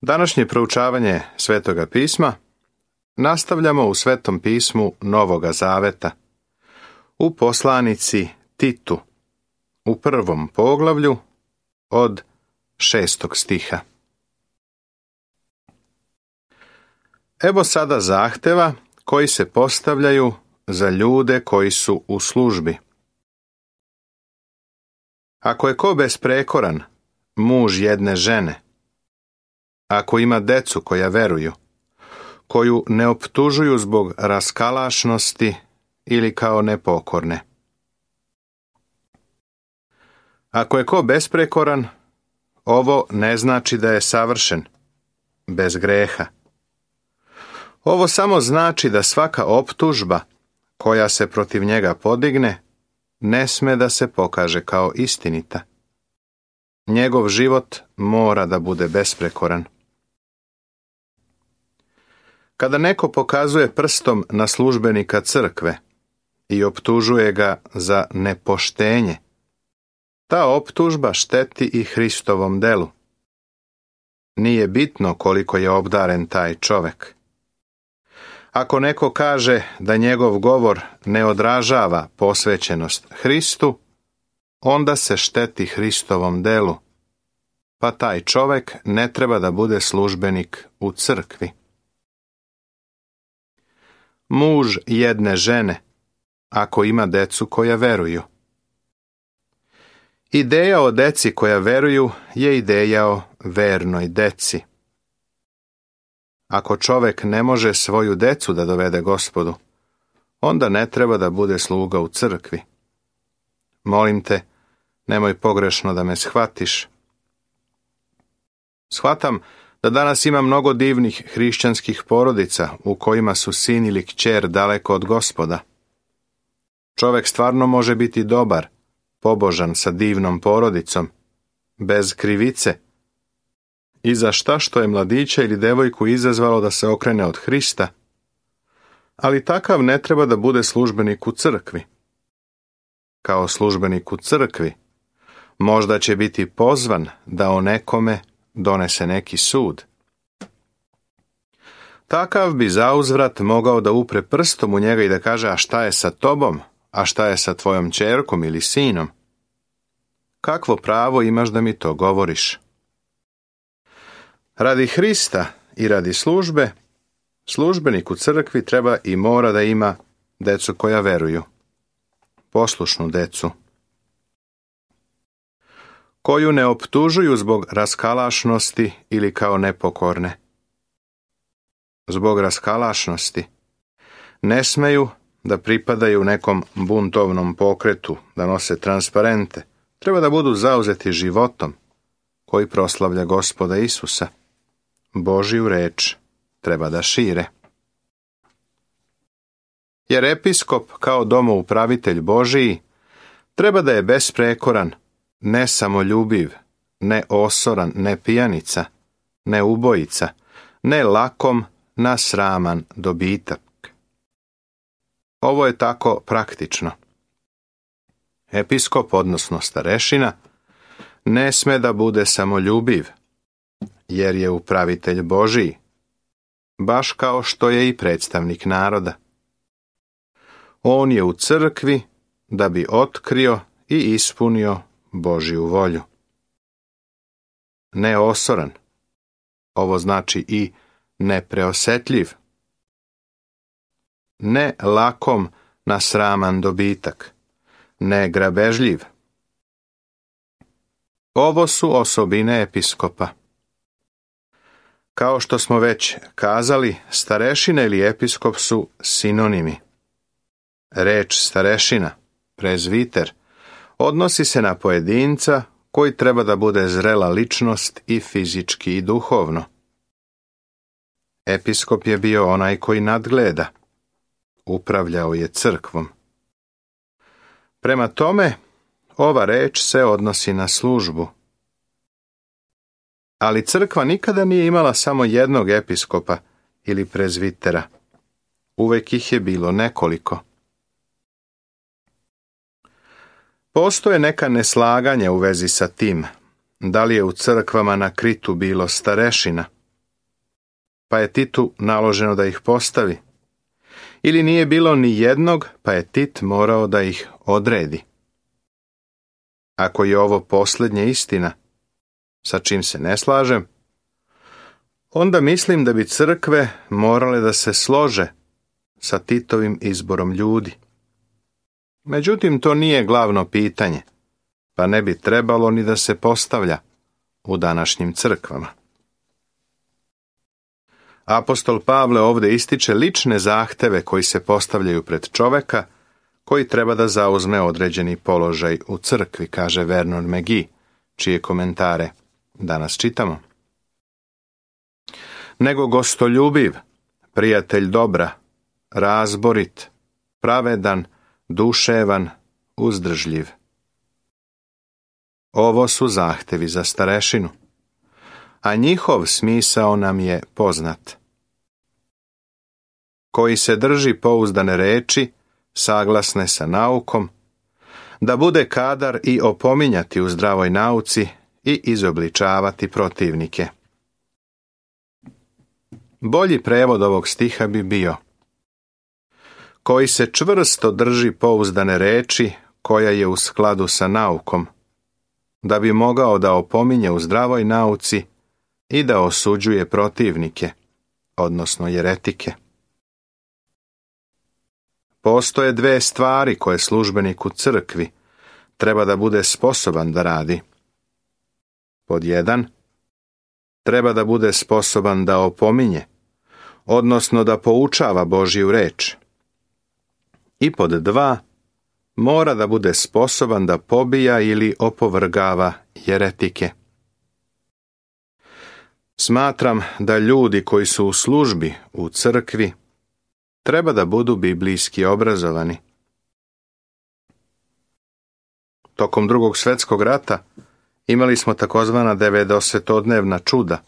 Današnje proučavanje Svetoga pisma nastavljamo u Svetom pismu Novoga Zaveta, u poslanici Titu, u 1. poglavlju od 6. stiha. Evo sada zahteva koji se postavljaju za ljude koji su u službi. Ako je ko besprekoran, muž jedne žene, ako ima decu koja veruju, koju ne optužuju zbog raskalašnosti ili kao nepokorne. Ako je ko besprekoran, ovo ne znači da je savršen, bez greha. Ovo samo znači da svaka optužba koja se protiv njega podigne ne sme da se pokaže kao istinita. Njegov život mora da bude besprekoran. Kada neko pokazuje prstom na službenika crkve i optužuje ga za nepoštenje, ta optužba šteti i Hristovom delu. Nije bitno koliko je obdaren taj čovek. Ako neko kaže da njegov govor ne odražava posvećenost Hristu, onda se šteti Hristovom delu, pa taj čovek ne treba da bude službenik u crkvi. Muž jedne žene, ako ima decu koja veruju. Ideja o deci koja veruju je ideja o vernoj deci. Ako čovek ne može svoju decu da dovede Gospodu, onda ne treba da bude sluga u crkvi. Molim te, nemoj pogrešno da me shvatiš. Shvatam da danas ima mnogo divnih hrišćanskih porodica u kojima su sin ili kćer daleko od Gospoda. Čovek stvarno može biti dobar, pobožan sa divnom porodicom, bez krivice, i za šta što je mladića ili devojku izazvalo da se okrene od Hrista, ali takav ne treba da bude službenik u crkvi. Kao službenik u crkvi možda će biti pozvan da o nekome donese neki sud. Takav bi zauzvrat mogao da upre prstom u njega i da kaže: a šta je sa tobom, a šta je sa tvojom ćerkom ili sinom? Kakvo pravo imaš da mi to govoriš? Radi Hrista i radi službe, službenik u crkvi treba i mora da ima decu koja veruju, poslušnu decu, koju ne optužuju zbog raskalašnosti ili kao nepokorne. Zbog raskalašnosti ne smeju da pripadaju nekom buntovnom pokretu, da nose transparente. Treba da budu zauzeti životom koji proslavlja Gospoda Isusa. Božiju reč treba da šire. Jer episkop kao domoupravitelj Božiji treba da je besprekoran, ne samoljubiv, ne osoran, ne pijanica, ne ubojica, ne lakom na sraman dobitak. Ovo je tako praktično. Episkop, odnosno starešina, ne sme da bude samoljubiv, jer je upravitelj Božiji, baš kao što je i predstavnik naroda. On je u crkvi da bi otkrio i ispunio Božju volju. Neosoran, ovo znači i nepreosetljiv. Ne lakom na sraman dobitak, ne grabežljiv. Ovo su osobine episkopa. Kao što smo već kazali, starešina ili episkop su sinonimi. Reč starešina, prezviter, odnosi se na pojedinca koji treba da bude zrela ličnost i fizički i duhovno. Episkop je bio onaj koji nadgleda, upravljao je crkvom. Prema tome, ova reč se odnosi na službu. Ali crkva nikada nije imala samo jednog episkopa ili prezvitera. Uvek ih je bilo nekoliko. Postoje neka neslaganja u vezi sa tim, da li je u crkvama na Kritu bilo starešina, pa je Titu naloženo da ih postavi. Ili nije bilo ni jednog, pa je Tit morao da ih odredi. Ako je ovo posljednje istina, sa čim se ne slažem, onda mislim da bi crkve morale da se slože sa Titovim izborom ljudi. Međutim, to nije glavno pitanje, pa ne bi trebalo ni da se postavlja u današnjim crkvama. Apostol Pavle ovdje ističe lične zahteve koji se postavljaju pred čoveka koji treba da zauzme određeni položaj u crkvi, kaže Vernon McGee, čije komentare danas čitamo. Nego gostoljubiv, prijatelj dobra, razborit, pravedan, duševan, uzdržljiv. Ovo su zahtevi za starešinu, a njihov smisao nam je poznat. Koji se drži pouzdane reči, saglasne sa naukom, da bude kadar i opominjati u zdravoj nauci i izobličavati protivnike. Bolji prevod ovog stiha bi bio: koji se čvrsto drži pouzdane reči koja je u skladu sa naukom, da bi mogao da opominje u zdravoj nauci i da osuđuje protivnike, odnosno jeretike. Postoje dve stvari koje službenik u crkvi treba da bude sposoban da radi. Pod 1, treba da bude sposoban da opominje, odnosno da poučava Božju reč. I pod 2, mora da bude sposoban da pobija ili opovrgava jeretike. Smatram da ljudi koji su u službi u crkvi treba da budu biblijski obrazovani. Tokom Drugog svjetskog rata imali smo takozvana 90-dnevna čuda.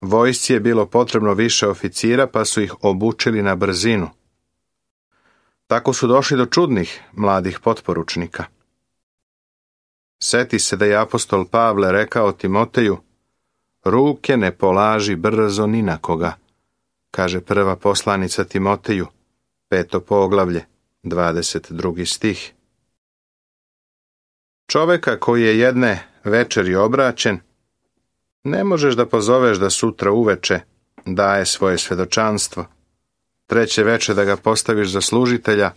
Vojsci je bilo potrebno više oficira, pa su ih obučili na brzinu. Tako su došli do čudnih mladih potporučnika. Seti se da je apostol Pavle rekao Timoteju: ruke ne polaži brzo ni na koga, kaže prva poslanica Timoteju, 5. poglavlje, 22. stih. Čoveka koji je jedne večeri obraćen, ne možeš da pozoveš da sutra uveče daje svoje svedočanstvo, 3. veče da ga postaviš za služitelja,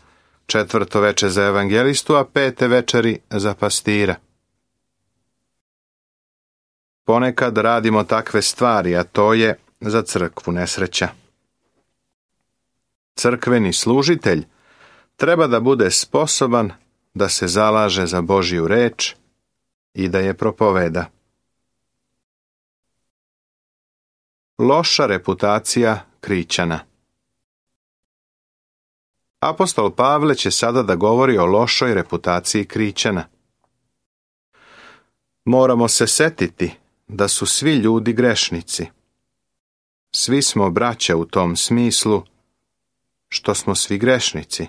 4. veče za evangelistu, a 5. večeri za pastira. Ponekad radimo takve stvari, a to je za crkvu nesreća. Crkveni služitelj treba da bude sposoban da se zalaže za Božju reč i da je propoveda. Loša reputacija Krićana. Apostol Pavle će sada da govori o lošoj reputaciji Krićana. Moramo se setiti da su svi ljudi grešnici. Svi smo braća u tom smislu što smo svi grešnici.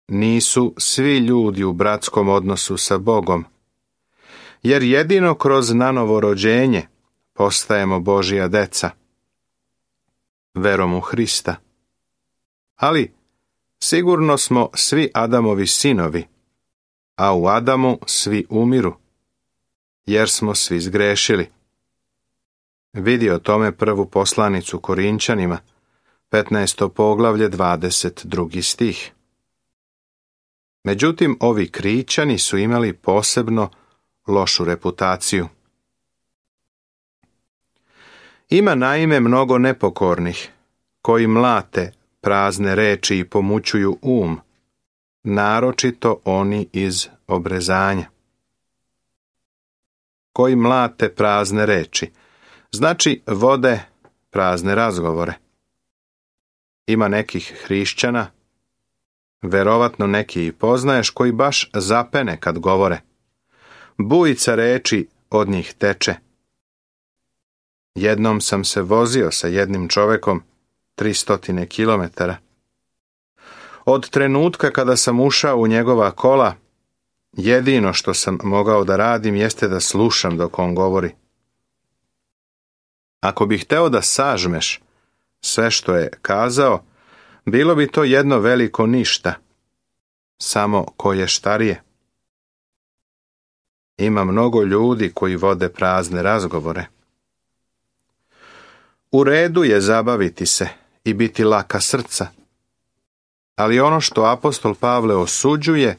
Nisu svi ljudi u bratskom odnosu sa Bogom, jer jedino kroz nanovo rođenje postajemo Božja deca, verom u Hrista. Ali sigurno smo svi Adamovi sinovi, a u Adamu svi umiru, jer smo svi zgrešili. Vidi o tome prvu poslanicu Korinćanima, 15. poglavlje, 22. stih. Međutim, ovi Krićani su imali posebno lošu reputaciju. Ima naime mnogo nepokornih, koji mlate prazne reči i pomućuju naročito oni iz obrezanja. Koji mlate prazne reči, znači vode prazne razgovore. Ima nekih hrišćana, verovatno neki i poznaješ, koji baš zapene kad govore. Bujica reči od njih teče. Jednom sam se vozio sa jednim čovekom 300 kilometara. Od trenutka kada sam ušao u njegova kola, jedino što sam mogao da radim jeste da slušam dok on govori. Ako bih hteo da sažmeš sve što je kazao, bilo bi to jedno veliko ništa, samo koje štarije. Ima mnogo ljudi koji vode prazne razgovore. U redu je zabaviti se i biti laka srca, ali ono što apostol Pavle osuđuje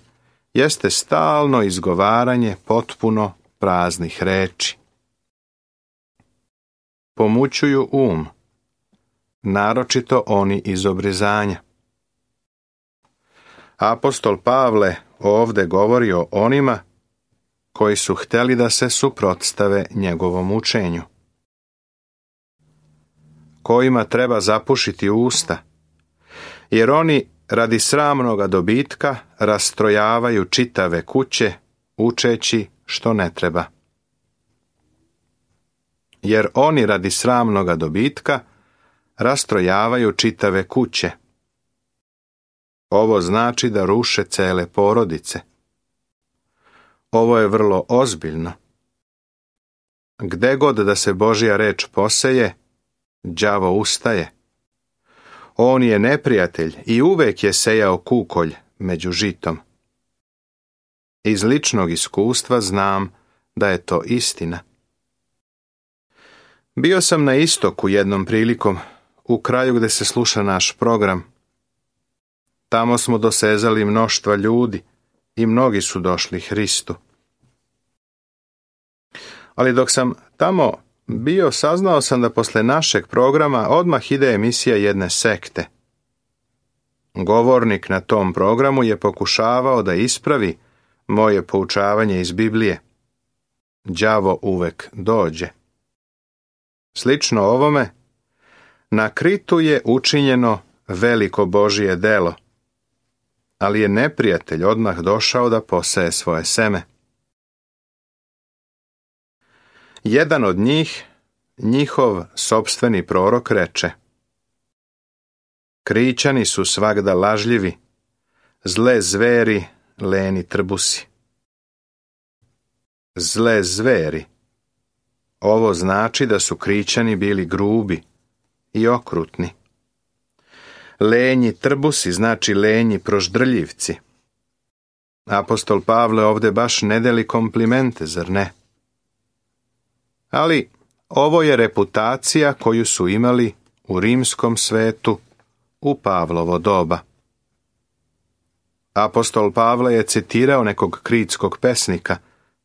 jeste stalno izgovaranje potpuno praznih reči. Pomućuju um, naročito oni iz obrizanja. Apostol Pavle ovde govori o onima koji su hteli da se suprotstave njegovom učenju, kojima treba zapušiti usta, jer oni radi sramnoga dobitka rastrojavaju čitave kuće, učeći što ne treba. Jer oni radi sramnoga dobitka rastrojavaju čitave kuće. Ovo znači da ruše cele porodice. Ovo je vrlo ozbiljno. Gde god da se Božja reč poseje, đavo ustaje. On je neprijatelj i uvek je sejao kukolj među žitom. Iz ličnog iskustva znam da je to istina. Bio sam na istoku jednom prilikom, u kraju gde se sluša naš program. Tamo smo dosezali mnoštva ljudi i mnogi su došli Hristu. Ali dok sam tamo bio, saznao sam da posle našeg programa odmah ide emisija jedne sekte. Govornik na tom programu je pokušavao da ispravi moje poučavanje iz Biblije. Đavo uvek dođe. Slično ovome, na Kritu je učinjeno veliko Božje delo, ali je neprijatelj odmah došao da poseje svoje seme. Jedan od njih, njihov sopstveni prorok, reče: Krićani su svagda lažljivi, zle zveri, leni trbusi. Zle zveri. Ovo znači da su Krićani bili grubi i okrutni. Lenji trbusi znači lenji proždrljivci. Apostol Pavle ovde baš ne deli komplimente, zar ne? Ali ovo je reputacija koju su imali u rimskom svetu u Pavlovo doba. Apostol Pavle je citirao nekog kritskog pesnika,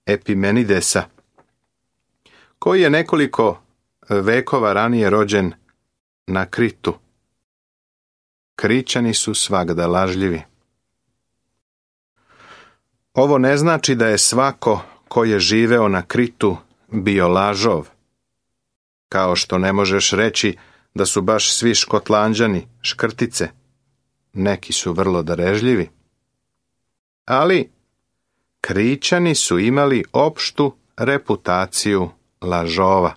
Epimenidesa, koji je nekoliko vekova ranije rođen na Kritu. Krićani su svagda lažljivi. Ovo ne znači da je svako ko je živeo na Kritu bio lažov. Kao što ne možeš reći da su baš svi Škotlanđani škrtice. Neki su vrlo darežljivi. Ali Krićani su imali opštu reputaciju lažova.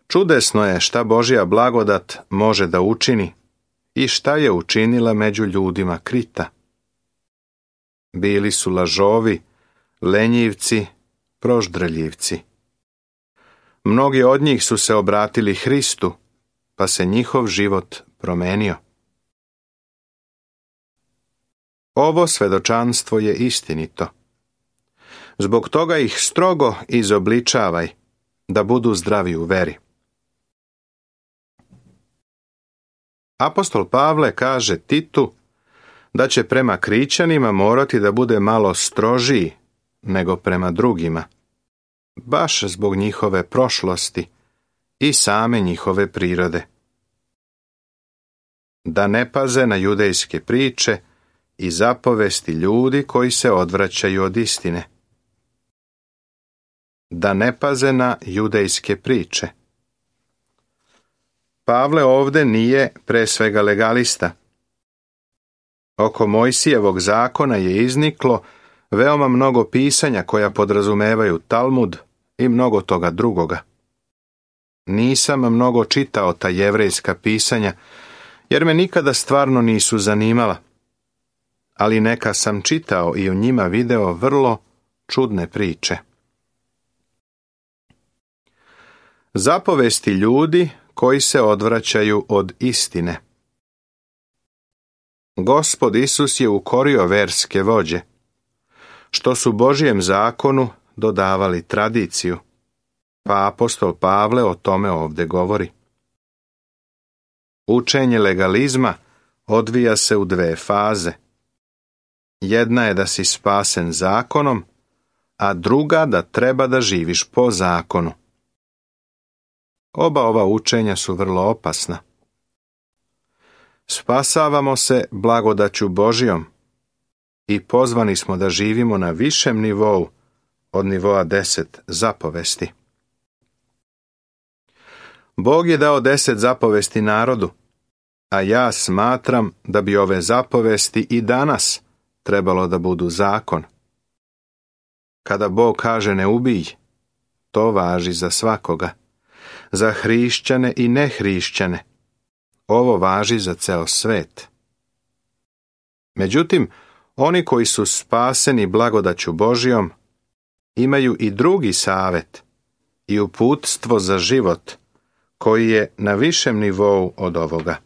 Čudesno je šta Božja blagodat može da učini i šta je učinila među ljudima Krita. Bili su lažovi, lenjivci, proždrljivci. Mnogi od njih su se obratili Hristu, pa se njihov život promenio. Ovo svedočanstvo je istinito. Zbog toga ih strogo izobličavaj, da budu zdravi u veri. Apostol Pavle kaže Titu da će prema Krićanima morati da bude malo strožiji nego prema drugima, baš zbog njihove prošlosti i same njihove prirode. Da ne paze na judejske priče i zapovesti ljudi koji se odvraćaju od istine. Da ne paze na judejske priče. Pavle ovde nije pre svega legalista. Oko Mojsijevog zakona je izniklo veoma mnogo pisanja koja podrazumevaju Talmud i mnogo toga drugoga. Nisam mnogo čitao ta jevrejska pisanja, jer me nikada stvarno nisu zanimala, ali neka sam čitao i u njima video vrlo čudne priče. Zapovesti ljudi koji se odvraćaju od istine. Gospod Isus je ukorio verske vođe, što su Božjem zakonu dodavali tradiciju, pa apostol Pavle o tome ovdje govori. Učenje legalizma odvija se u dve faze. Jedna je da si spasen zakonom, a druga da treba da živiš po zakonu. Oba ova učenja su vrlo opasna. Spasavamo se blagodaću Božjom i pozvani smo da živimo na višem nivou od nivoa 10 zapovesti. Bog je dao 10 zapovesti narodu, a ja smatram da bi ove zapovesti i danas trebalo da budu zakon. Kada Bog kaže ne ubij, to važi za svakoga, za hrišćane i nehrišćane. Ovo važi za ceo svet. Međutim, oni koji su spaseni blagodaću Božjom imaju i drugi savet i uputstvo za život koji je na višem nivou od ovoga.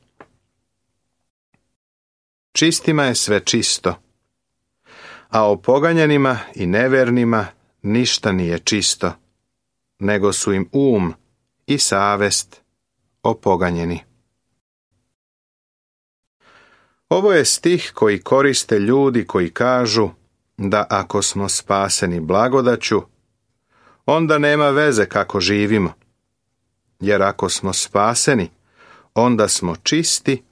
Čistima je sve čisto, a opoganjanima i nevernima ništa nije čisto, nego su im i savest opoganjeni. Ovo je stih koji koriste ljudi koji kažu da ako smo spaseni blagodaću, onda nema veze kako živimo, jer ako smo spaseni, onda smo čisti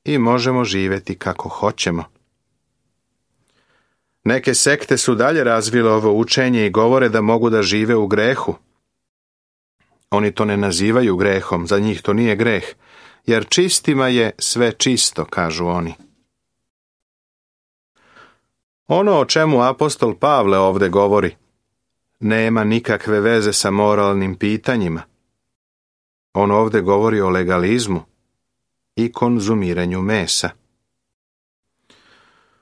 i možemo živjeti kako hoćemo. Neke sekte su dalje razvile ovo učenje i govore da mogu da žive u grehu. Oni to ne nazivaju grehom, za njih to nije greh, jer čistima je sve čisto, kažu oni. Ono o čemu apostol Pavle ovdje govori, nema nikakve veze sa moralnim pitanjima. On ovdje govori o legalizmu i konzumiranju mesa.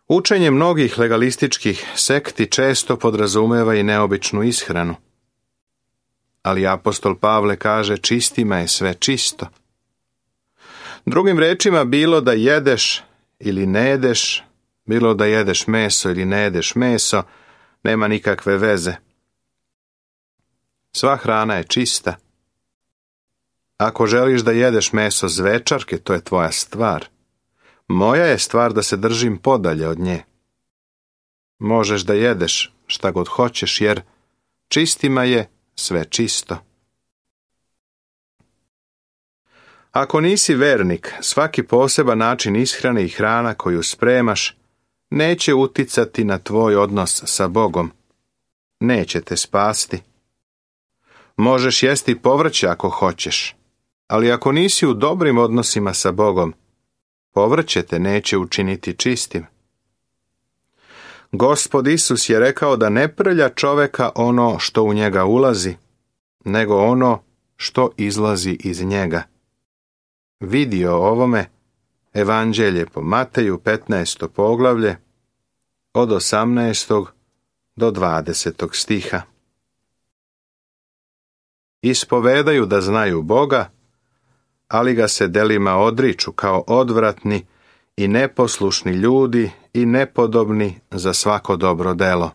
Učenje mnogih legalističkih sekti često podrazumeva i neobičnu ishranu. Ali apostol Pavle kaže čistima je sve čisto. Drugim rečima, bilo da jedeš ili ne jedeš, bilo da jedeš meso ili ne jedeš meso, nema nikakve veze. Sva hrana je čista. Ako želiš da jedeš meso zvečarke, to je tvoja stvar. Moja je stvar da se držim podalje od nje. Možeš da jedeš šta god hoćeš, jer čistima je sve čisto. Ako nisi vernik, svaki poseban način ishrane i hrana koju spremaš neće uticati na tvoj odnos sa Bogom. Neće te spasti. Možeš jesti povrće ako hoćeš, ali ako nisi u dobrim odnosima sa Bogom, povrće te neće učiniti čistim. Gospod Isus je rekao da ne prlja čoveka ono što u njega ulazi, nego ono što izlazi iz njega. Vidi o ovome Evanđelje po Mateju 15. poglavlje od 18. do 20. stiha. Ispovedaju da znaju Boga, ali ga se delima odriču kao odvratni i neposlušni ljudi i nepodobni za svako dobro delo.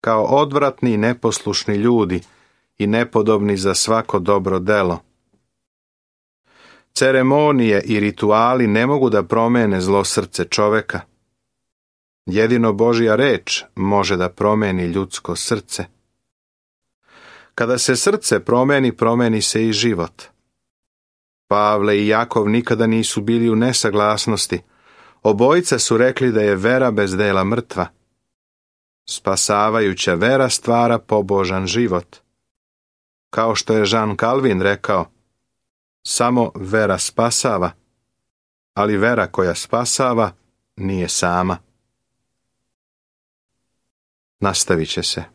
Kao odvratni i neposlušni ljudi i nepodobni za svako dobro delo. Ceremonije i rituali ne mogu da promene zlo srce čoveka. Jedino Božja reč može da promeni ljudsko srce. Kada se srce promeni, promeni se i život. Pavle i Jakov nikada nisu bili u nesaglasnosti. Obojica su rekli da je vera bez dela mrtva. Spasavajuća vera stvara pobožan život. Kao što je Jean Calvin rekao, samo vera spasava, ali vera koja spasava nije sama. Nastavit će se.